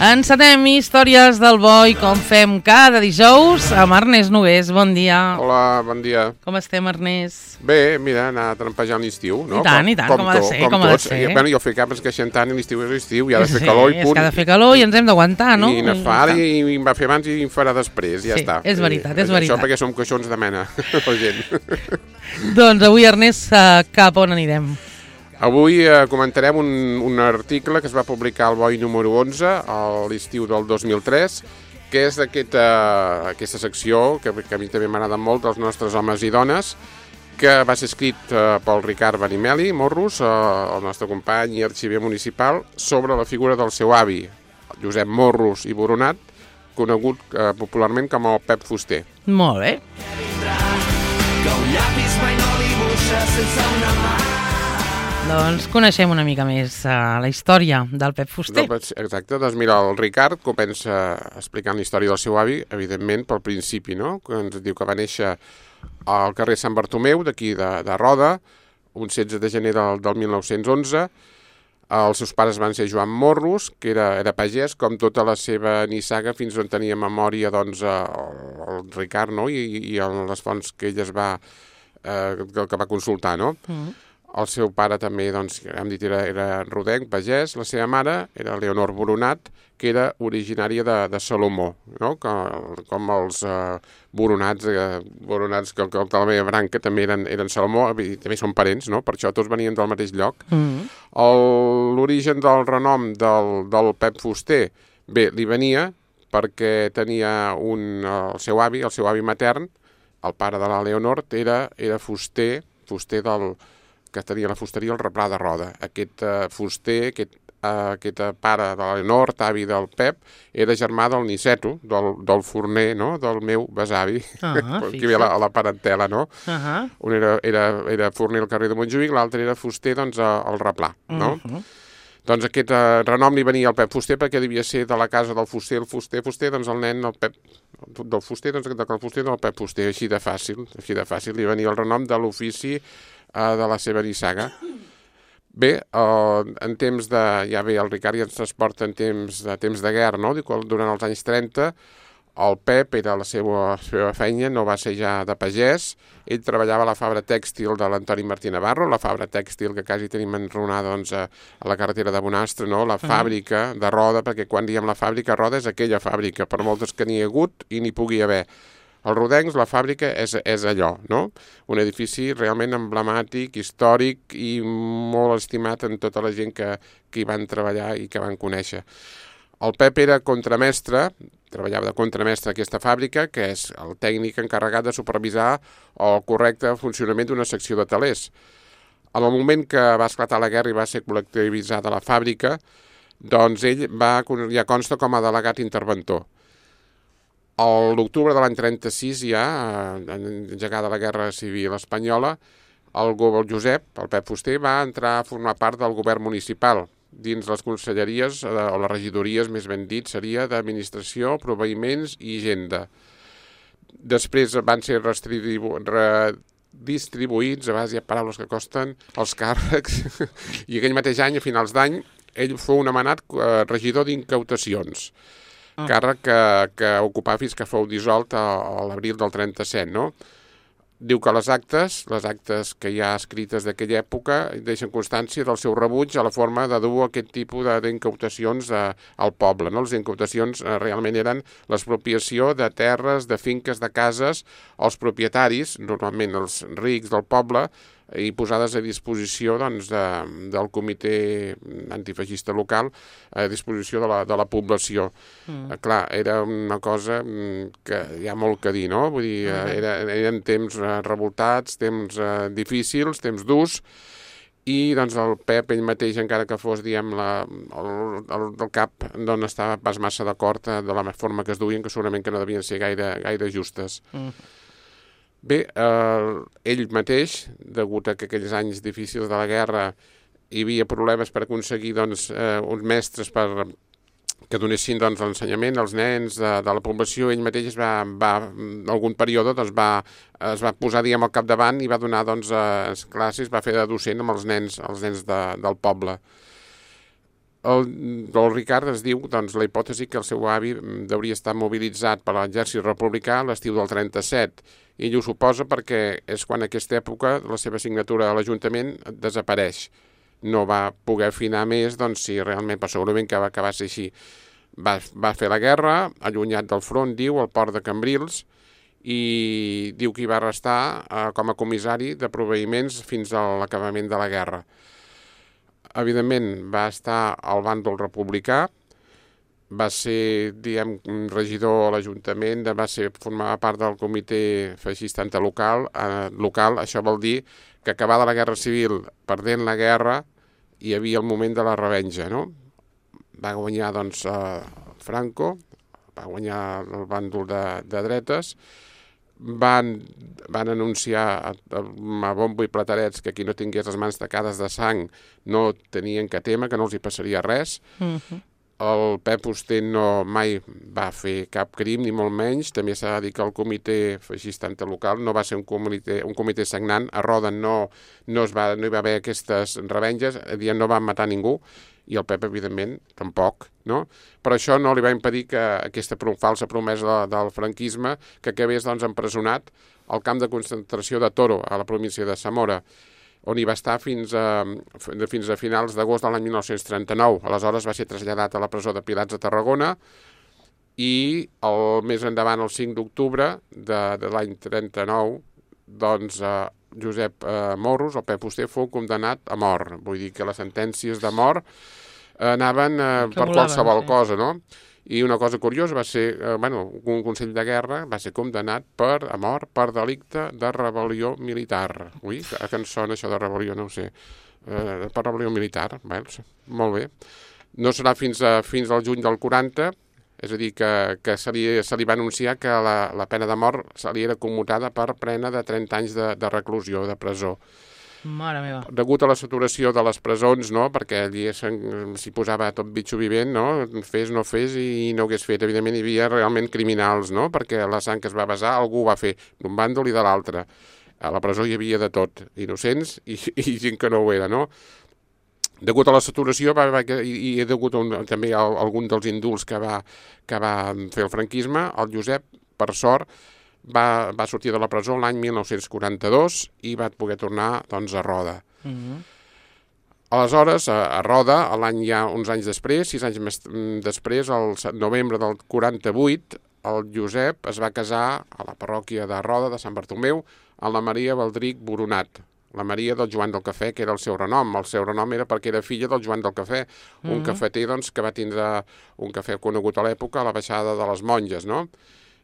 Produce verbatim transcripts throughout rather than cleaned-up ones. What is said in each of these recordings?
Encetem històries del boi com fem cada dijous amb Ernest Nogués. Bon dia. Hola, bon dia. Com estem, Ernest? Bé, mira, anar trampejant l'estiu, no? I tant, i tant, com, com ha de ser, com, com ha de ser. Bueno, jo fic capes que xentant i l'estiu és l'estiu, i ha de fer sí, calor i punt. Sí, és que ha de fer calor i ens hem d'aguantar, no? I ne fa ara i em va fer abans i em farà després, ja sí, està. és veritat, és veritat. Això perquè som coixons de mena, la gent. Doncs avui, Ernest, cap on anirem? Avui eh, comentarem un, un article que es va publicar al Boi número onze a l'estiu del dos mil tres, que és d'aquesta aquesta secció que, que a mi també m'agrada molt, dels nostres homes i dones, que va ser escrit eh, pel Ricard Benimeli Morros, eh, el nostre company i arxiver municipal, sobre la figura del seu avi, Josep Morros i Boronat, conegut eh, popularment com el Pep Fuster. Molt bé. Que un llapis mai no dibuixa sense una mà. Doncs coneixem una mica més uh, la història del Pep Fuster. Exacte, doncs mira, el Ricard comença explicant la història del seu avi, evidentment pel principi, no? Que ens diu que va néixer al carrer Sant Bartomeu, d'aquí de, de Roda, un setze de gener del, del mil nou-cents onze. Els seus pares van ser Joan Morros, que era, era pagès, com tota la seva nissaga, fins on tenia memòria doncs, el, el Ricard, no? I, i les fonts que ell es va, eh, que, que va consultar, no? Mm. El seu pare també, doncs, hem dit, era, era rodenc, pagès. La seva mare era Leonor Boronat, que era originària de, de Salomó, no? Com, com els eh, Boronats, eh, Boronats que, que de la meva branca també eren, eren Salomó, també són parents, no? Per això tots venien del mateix lloc. Mm-hmm. L'origen del renom del, del Pep Fuster, bé, li venia perquè tenia un, el seu avi, el seu avi matern, el pare de la Leonor, era, era fuster, fuster del... que tenia la fusteria al Replà de Roda. Aquest uh, fuster, aquest, uh, aquest pare de l'Elenor, avi del Pep, era germà del Niceto, del, del forner, no?, del meu besavi, uh-huh, que ve a la, a la parentela, no? Uh-huh. Un era, era, era forner al carrer de Montjuïc, l'altre era fuster, doncs, al Replà, no? Uh-huh. Doncs aquest uh, renom li venia al Pep Fuster perquè devia ser de la casa del fuster, el fuster, fuster, doncs el nen, el Pep, del fuster, doncs del fuster del Pep Fuster, així de fàcil, així de fàcil, li venia el renom de l'ofici uh, de la seva nissaga. Bé, uh, en temps de, ja bé, el Ricard ja ens transporta en temps de, temps de guerra, no? Durant els anys trenta, el Pep era la seva, la seva feina, no va ser ja de pagès, ell treballava a la fabra tèxtil de l'Antoni Martí Navarro, la fabra tèxtil que quasi tenim enronada doncs, a, a la carretera de Bonastre, no? La fàbrica de Roda, perquè quan diem la fàbrica Roda és aquella fàbrica, per moltes que n'hi ha hagut i n'hi pugui haver. Els rodencs, la fàbrica és, és allò, no? Un edifici realment emblemàtic, històric i molt estimat en tota la gent que, que hi van treballar i que van conèixer. El Pep era contramestre, treballava de contramestre a aquesta fàbrica, que és el tècnic encarregat de supervisar el correcte funcionament d'una secció de telers. En el moment que va esclatar la guerra i va ser col·lectivitzada la fàbrica, doncs ell va, ja consta com a delegat interventor. A l'octubre de l'any trenta-sis, ja, engegada la Guerra Civil Espanyola, el, el Josep, el Pep Fuster, va entrar a formar part del govern municipal, dins les conselleries, o les regidories, més ben dit, seria d'administració, proveïments i hisenda. Després van ser redistribu redistribuïts, a base de paraules que costen, els càrrecs, i aquell mateix any, a finals d'any, ell fou nomenat eh, regidor d'incautacions, ah. càrrec que, que ocupava fins que fou dissolt a, a l'abril del trenta-set, no? Diu que les actes, les actes que hi ha escrites d'aquella època, deixen constància del seu rebuig a la forma de dur aquest tipus d'incautacions al poble. No? Les incautacions eh, realment eren l'expropiació de terres, de finques, de cases, als propietaris, normalment els rics del poble, i posades a disposició doncs, de, del comitè antifeixista local, a disposició de la, de la població. Mm. Eh, clar, era una cosa que hi ha molt que dir, no? Vull dir, mm. era, eren temps eh, revoltats, temps eh, difícils, temps durs, i doncs el Pep ell mateix, encara que fos, diguem, la, el, el, el cap, doncs estava pas massa d'acord eh, de la forma que es duien, que segurament que no devien ser gaire, gaire justes. Mm. Bé, eh, ell mateix, degut a que aquells anys difícils de la guerra hi havia problemes per aconseguir doncs, eh, uns mestres per, que donessin doncs, l'ensenyament als nens de, de la població, ell mateix es va, va en algun període doncs, va, es va posar diguem, al capdavant i va donar doncs, eh, classes, va fer de docent amb els nens, els nens de, del poble. El, el Ricard es diu, doncs, la hipòtesi que el seu avi hauria estat mobilitzat per l'exèrcit republicà a l'estiu del trenta-set. I ell ho suposa perquè és quan en aquesta època la seva signatura a l'Ajuntament desapareix. No va poder afinar més, doncs, si realment, però segurament que va, que va ser així. Va, va fer la guerra, allunyat del front, diu, al port de Cambrils, i diu que hi va restar eh, com a comissari de proveïments fins a l'acabament de la guerra. Evidentment, va estar al bàndol republicà, va ser, diguem, regidor a l'Ajuntament, va ser formar part del comitè feixista antilocal. Eh, local, això vol dir que acabada la Guerra Civil, perdent la guerra, hi havia el moment de la revenja, no? Va guanyar, doncs, eh, Franco, va guanyar el bàndol de, de dretes, van, van anunciar a, a bombo i platerets que qui no tingués les mans tacades de sang no tenien que témer, que no els hi passaria res. Uh-huh. El Pep Fuster no mai va fer cap crim, ni molt menys. També s'ha de dir que el comitè feixista antilocal no va ser un comitè, un comitè sagnant. A Roda no, no, es va, no hi va haver aquestes revenges, no van matar ningú, i el Pep, evidentment, tampoc, no? Però això no li va impedir que aquesta falsa promesa de, del franquisme que acabés, doncs, empresonat al camp de concentració de Toro, a la província de Zamora, on hi va estar fins a, fins a finals d'agost de l'any mil nou-cents trenta-nou. Aleshores va ser traslladat a la presó de Pilats de Tarragona i el, més endavant, el cinc d'octubre de, de l'any trenta-nou, doncs, eh, Josep eh, Morros, el Pep Fuster, fou condemnat a mort. Vull dir que les sentències de mort eh, anaven eh, per qualsevol sí. cosa, no? I una cosa curiosa va ser, eh, bueno, un Consell de Guerra va ser condemnat per, a mort per delicte de rebel·lió militar. Ui, que, que en sona això de rebel·lió, no ho sé. Eh, per rebel·lió militar, bé, molt bé. No serà fins, a, fins al juny del quaranta, és a dir, que, que se, li, se li va anunciar que la, la pena de mort se li era commutada per pena de trenta anys de, de reclusió, de presó. Mare meva. Degut a la saturació de les presons, no?, perquè allí s'hi posava tot bitxo vivent, no?, fes, no fes, i no ho hagués fet. Evidentment hi havia realment criminals, no?, perquè la sang que es va vessar algú ho va fer d'un bàndol i de l'altre. A la presó hi havia de tot, innocents i, i gent que no ho era, no? Degut a la saturació va, va, i, i degut a un, també a algun dels indults que va, que va fer el franquisme, el Josep, per sort, va, va sortir de la presó l'any mil nou-cents quaranta-dos i va poder tornar, doncs, a Roda. Uh-huh. Aleshores, a, a Roda, l'any ja uns anys després, sis anys més després, el novembre del quaranta-vuit, el Josep es va casar a la parròquia de Roda, de Sant Bartomeu, amb la Maria Baldric Boronat, la Maria del Joan del Cafè, que era el seu renom. El seu renom era perquè era filla del Joan del Cafè, un mm-hmm. cafeter, doncs, que va tindre un cafè conegut a l'època, a la baixada de les Monges, no?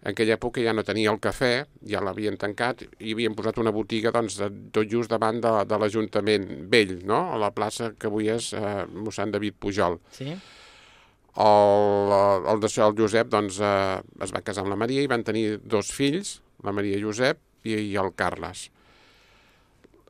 En aquella època ja no tenia el cafè, ja l'havien tancat i havien posat una botiga, doncs, tot just davant de, de l'Ajuntament vell, no?, a la plaça que avui és eh, mossèn David Pujol. Sí. El, el, el Josep, doncs, eh, es va casar amb la Maria i van tenir dos fills, la Maria Josep i, i el Carles.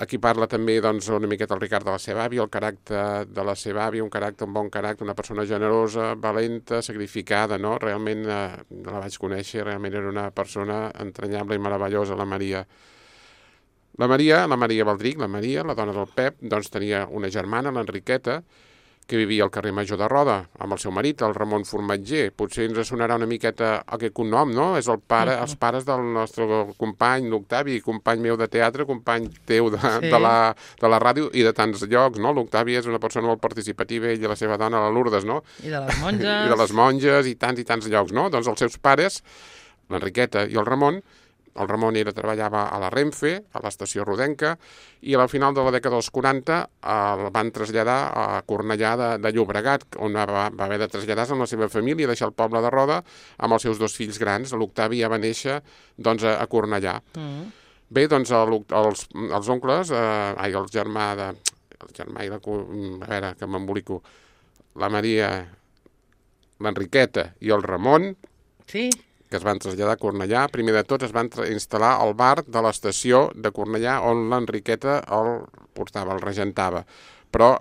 Aquí parla també, doncs, una miqueta el Ricard de la seva àvia, el caràcter de la seva àvia, un caràcter, un bon caràcter, una persona generosa, valenta, sacrificada, no? Realment eh, la vaig conèixer, realment era una persona entranyable i meravellosa, la Maria. La Maria, la Maria Baldric, la Maria, la dona del Pep, doncs tenia una germana, l'Enriqueta, que vivia al carrer Major de Roda, amb el seu marit, el Ramon Formatger. Potser ens sonarà una miqueta aquest cognom, no? És el pare, els pares del nostre company, l'Octavi, company meu de teatre, company teu de, sí. de, la, de la ràdio i de tants llocs, no? L'Octavi és una persona molt participativa, ell i la seva dona, la Lourdes, no? I de les monges. I de les monges i tants i tants llocs, no? Doncs els seus pares, l'Enriqueta i el Ramon, el Ramon era, treballava a la Renfe, a l'estació rodenca, i a la final de la dècada dels quaranta el van traslladar a Cornellà de, de Llobregat, on va, va haver de traslladar-se amb la seva família i deixar el poble de Roda amb els seus dos fills grans. L'Octavi ja va néixer, doncs, a, a Cornellà. Mm. Bé, doncs, el, els, els oncles, eh, ai, el germà de... El germà i la... A veure, que m'embolico. La Maria, l'Enriqueta i el Ramon... Sí. Que es van traslladar a Cornellà. Primer de tot es van instal·lar al bar de l'estació de Cornellà on l'Enriqueta el portava, el regentava. Però,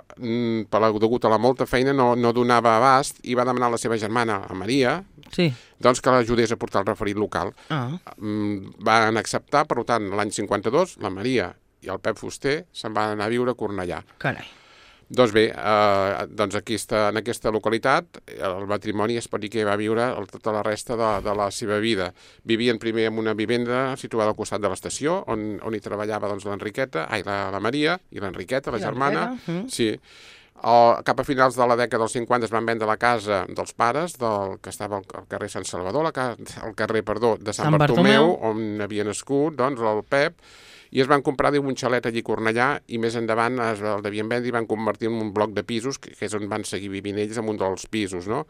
per degut a la molta feina, no, no donava abast i va demanar a la seva germana, a Maria, sí. doncs que l'ajudés a portar el referit local. Ah. Van acceptar, per tant, l'any cinquanta-dos, la Maria i el Pep Fuster se'n van anar a viure a Cornellà. Carai. Doncs bé, eh, doncs aquí està, en aquesta localitat, el matrimoni es pot dir que va viure el, tota la resta de, de la seva vida. Vivien primer en una vivenda situada al costat de l'estació, on, on hi treballava doncs, l'Enriqueta, ai, la, la Maria i l'Enriqueta, la I germana. Mm. Sí. El, cap a finals de la dècada dels cinquanta es van vendre la casa dels pares, del, que estava al, al carrer Sant Salvador, la, al carrer, perdó, de Sant, Sant Bartomeu, Bartomeu, on havia nascut doncs, el Pep, i es van comprar diu, un xalet allí a Cornellà i més endavant es, el devien vendre i van convertir en un bloc de pisos, que, que és on van seguir vivint ells, en un dels pisos, no?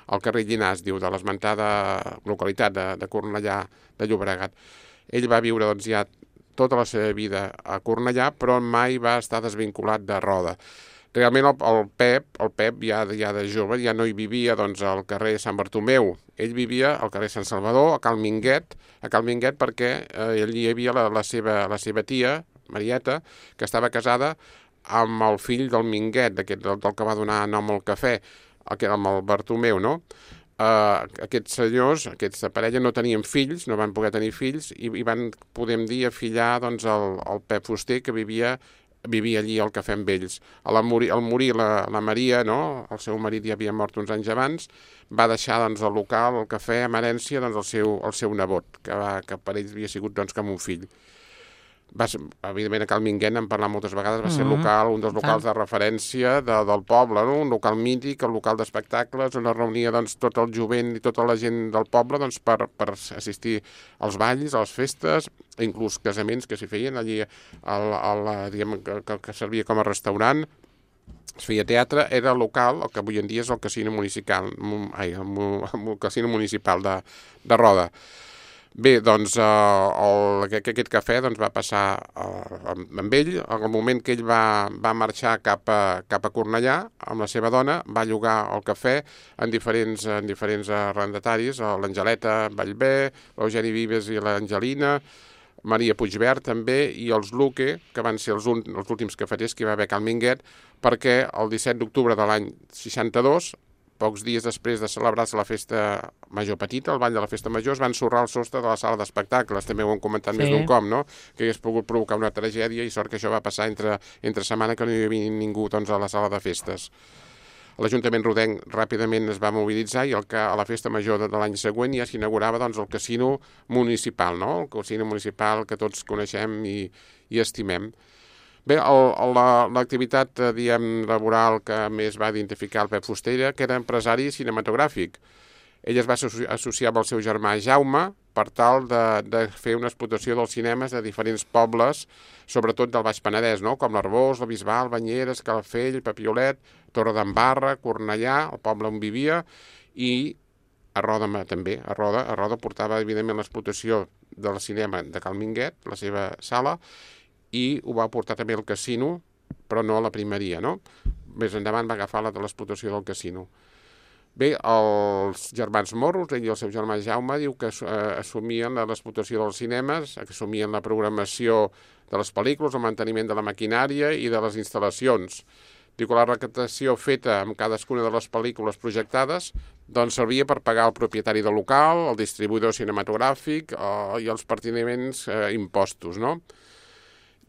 Al carrer Llinàs, diu, de l'esmentada localitat de, de Cornellà de Llobregat. Ell va viure doncs, ja tota la seva vida a Cornellà, però mai va estar desvinculat de Roda. Realment el, el Pep, el Pep ja, ja de jove, ja no hi vivia doncs, al carrer Sant Bartomeu. Ell vivia al carrer Sant Salvador, a Cal Minguet, a Cal Minguet perquè eh, allí hi havia la, la, seva, la seva tia, Marieta, que estava casada amb el fill del Minguet, del, del que va donar nom al cafè, amb el Bartomeu, no? Uh, aquests senyors, aquesta parella, no tenien fills, no van poder tenir fills, i, i van, podem dir, afillar doncs, el, el Pep Fuster, que vivia vivia allí al cafè amb ells. Al morir, al morir la, la Maria, no? El seu marit ja havia mort uns anys abans, va deixar doncs, el local, el cafè, amb herència, doncs, el, seu, el seu nebot, que, va, que per ells havia sigut doncs, com un fill. Va ser, evidentment, a Cal Minguet, n'hem parlat moltes vegades, va ser Mm-hmm. local, un dels locals de referència de, del poble, no? Un local mític, el local d'espectacles, on es reunia doncs, tot el jovent i tota la gent del poble doncs, per, per assistir als balls, a les festes, inclús casaments que s'hi feien allí, al, al, diguem, que, que servia com a restaurant. Es feia teatre, era local, el que avui en dia és el casino municipal, ai, el, el casino municipal de, de Roda. Bé, doncs eh, el, aquest cafè doncs, va passar eh, amb ell. En el moment que ell va, va marxar cap a, cap a Cornellà amb la seva dona, va llogar el cafè en diferents, en diferents arrendataris, l'Angeleta Vallvé, l'Eugeni Vives i l'Angelina, Maria Puigvert també, i els Luque, que van ser els, un, els últims cafeters que hi va haver a Cal Minguet, perquè el disset d'octubre de l'any seixanta-dos, pocs dies després de celebrar-se la festa major petita, el ball de la festa major, es van ensorrar el sostre de la sala d'espectacles, també ho hem comentat sí. més d'un cop, no? Que hagués pogut provocar una tragèdia, i sort que això va passar entre, entre setmana, que no hi havia ningú doncs, a la sala de festes. L'Ajuntament rodenc ràpidament es va mobilitzar i el que a la festa major de, de l'any següent ja s'inaugurava doncs, el casino municipal, no? El casino municipal que tots coneixem i, i estimem. Bé, l'activitat la, diguem, laboral que més va identificar el Pep Fuster era que era empresari cinematogràfic. Ell es va associar amb el seu germà Jaume per tal de, de fer una explotació dels cinemes de diferents pobles, sobretot del Baix Penedès, no? Com l'Arboç, la Bisbal, Banyeres, Calafell, Papiolet, Torredembarra, Cornellà, el poble on vivia, i a Roda també. A Roda, a Roda portava, evidentment, l'explotació del cinema de Cal Minguet, la seva sala, i ho va portar també al casino, però no a la primeria, no? Més endavant va agafar la de l'explotació del casino. Bé, els germans Morros, ell i el seu germà Jaume, diu que eh, assumien l'explotació dels cinemes, assumien la programació de les pel·lícules, el manteniment de la maquinària i de les instal·lacions. Diu que la recaptació feta amb cadascuna de les pel·lícules projectades doncs servia per pagar el propietari del local, el distribuïdor cinematogràfic eh, i els pertinents eh, impostos, no?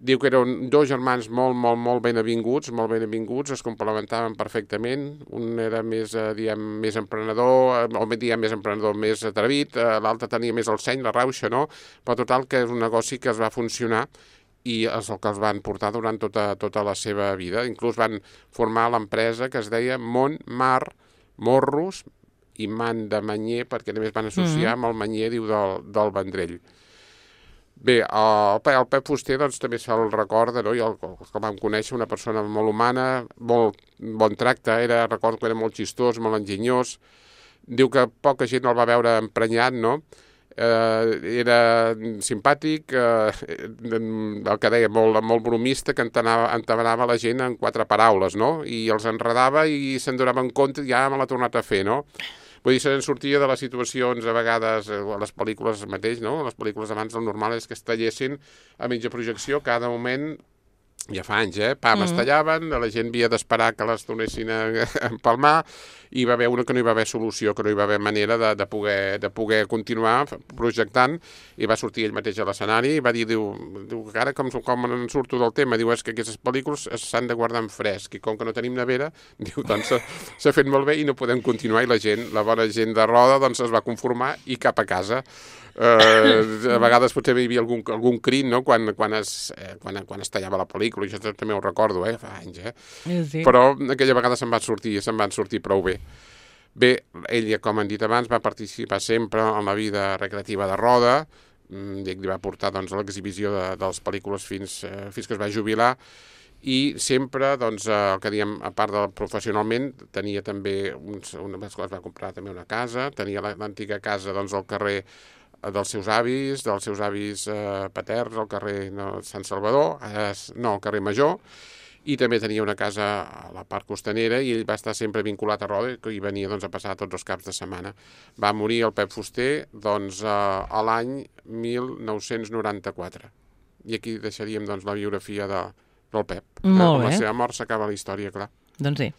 Diu que eren dos germans molt, molt, molt ben avinguts, molt ben avinguts, es complementaven perfectament. Un era més, eh, diguem, més emprenedor, o diguem, més emprenedor, més atrevit, eh, l'altre tenia més el seny, la rauxa, no? Però total que és un negoci que es va funcionar i és el que els van portar durant tota, tota la seva vida. Inclús van formar l'empresa que es deia Mont Mar Morros i Man de Manyer, perquè a més van associar mm-hmm. amb el Manyer, diu, del, del Vendrell. Bé, el, el Pep Fuster doncs, també se'l recorda, no? I el, el que vam conèixer, una persona molt humana, molt bon tracte, era, recordo que era molt xistós, molt enginyós. Diu que poca gent el va veure emprenyat, no? Eh, era simpàtic, eh, el que deia, molt, molt bromista, que entabanava la gent en quatre paraules, no? I els enredava i se'n donava en compte, ja me l'ha tornat a fer, no? Vull dir, se'n sortia de les situacions, a vegades, a les pel·lícules mateix, no? Les pel·lícules abans el normal és que es tallessin a mitja projecció, cada moment ja fa anys, eh? Pam, mm. es tallaven, la gent havia d'esperar que les tornessin a, a empalmar, i hi va haver una que no hi va haver solució, que no hi va haver manera de, de, poder, de poder continuar projectant, i va sortir ell mateix a l'escenari i va dir, diu, diu ara com, com en surto del tema, diu, és que aquestes pel·lícules s'han de guardar en fresc, i com que no tenim nevera, diu, doncs s'ha fet molt bé i no podem continuar, i la gent, la bona gent de Roda, doncs es va conformar i cap a casa. Uh, a vegades potser hi havia algun, algun crit, no?, quan, quan, es, eh, quan, quan es tallava la pel·lícula, jo també ho recordo, eh, fa anys, eh? Sí. Però aquella vegada se'n van sortir, se'n van sortir prou bé. Bé, ell, com han dit abans, va participar sempre en la vida recreativa de Roda, i li va portar, doncs, l'exhibició de, de les pel·lícules fins, eh, fins que es va jubilar, i sempre, doncs, el que diem, a part de professionalment, tenia també, uns, una, es va comprar també una casa, tenia l'antiga casa, doncs, al carrer dels seus avis, dels seus avis eh, paterns, al carrer no, Sant Salvador, eh, no, al carrer Major, i també tenia una casa a la part costanera, i ell va estar sempre vinculat a Roda, i venia, doncs, a passar tots els caps de setmana. Va morir el Pep Fuster, doncs, eh, a l'any mil nou-cents noranta-quatre. I aquí deixaríem, doncs, la biografia de, del Pep. Molt eh, bé. Amb la seva mort s'acaba la història, clar. Doncs sí.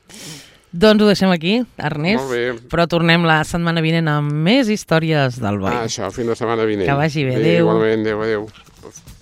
Doncs ho deixem aquí, Ernest. Molt bé. Però tornem la setmana vinent amb més històries del boi. Ah, això, fins la setmana vinent. Que vagi bé, adéu. adéu. Igualment, adéu, adéu.